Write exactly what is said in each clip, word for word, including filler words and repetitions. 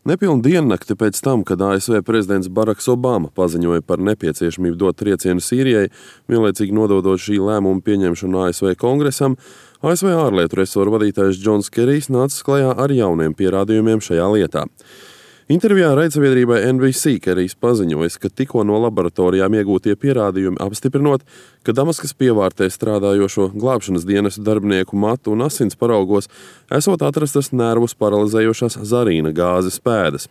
Nepilnu diennakti pēc tam, kad A S V prezidents Baraks Obama paziņoja par nepieciešamību dot triecienu Sīrijai, vienlaicīgi nododot šī lēmuma pieņemšanu A S V kongresam, A S V ārlietu resoru vadītājs Džons Kerijs nācis klajā ar jauniem pierādījumiem šajā lietā. Intervijā raidsabiedrībai N B C Kerijs paziņojis, ka tikko no laboratorijām iegūtie pierādījumi apstiprinot, ka Damaskas pievārtē strādājošo glābšanas dienestu darbinieku matu un asins paraugos esot atrastas nervus paralizējošās zarīna gāzes pēdas.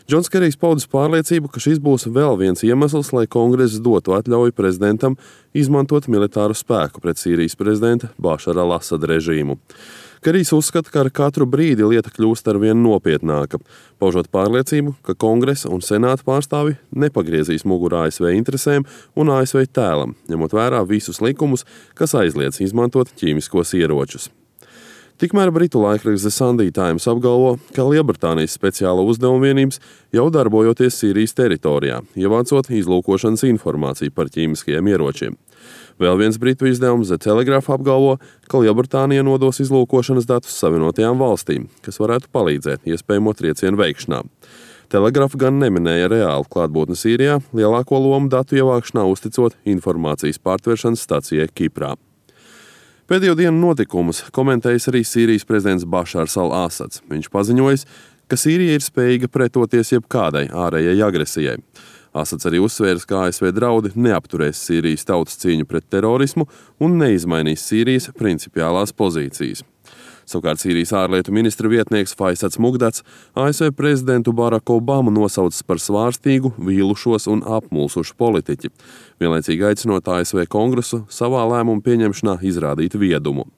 Džons Kerijs paudis pārliecību, ka šis būs vēl viens iemesls, lai kongress dotu atļauju prezidentam izmantot militāru spēku pret Sīrijas prezidenta Bašara al-Asada režīmu. Kerijs uzskata, ka ar katru brīdi lieta kļūst arvien nopietnāka, paužot pārliecību, ka kongresa un senāta pārstāvi nepagriezīs muguru A S V interesēm un A S V tēlam, ņemot vērā visus likumus, kas aizliedz izmantot ķīmiskos ieročus. Tikmēr britu laikraksts The Sunday Times apgalvo, ka Lielbritānijas speciāla uzdevuma vienības jau darbojoties Sīrijas teritorijā, ievācot izlūkošanas informāciju par ķīmiskajiem ieročiem. Vēl viens britu izdevums The Telegraph apgalvo, ka Lielbritānija nodos izlūkošanas datus Savienotajām valstīm, kas varētu palīdzēt iespējamo triecienu veikšanā. Telegraph gan neminēja reālu klātbūtni Sīrijā, lielāko lomu datu ievākšanā uzticot informācijas pārtveršanas stacijai Kiprā. Pēdējo dienu notikumus komentējis arī Sīrijas prezidents Bašars al-Asads. Viņš paziņojis, ka Sīrija ir spējīga pretoties jebkādai ārējai agresijai. Asads arī uzsvērs, ka A S V draudi neapturēs Sīrijas tautas cīņu pret terorismu un neizmainīs Sīrijas principiālās pozīcijas. Savukārt Sīrijas ārlietu ministra vietnieks Faisats Mugdats A S V prezidentu Baraku Obamu nosaucis par svārstīgu, vīlušos un apmulsušu politiķi, vienlaicīgi aicinot A S V kongresu savā lēmumu pieņemšanā izrādīt viedumu.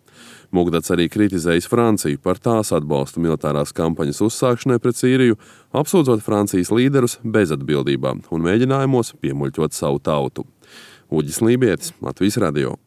Mugdats arī kritizējis Franciju par tās atbalstu militārās kampaņas uzsākšanai pret Sīriju, apsūdzot Francijas līderus bezatbildībā un mēģinājumos piemuļķot savu tautu. Uģis Lībietis, Latvijas radio.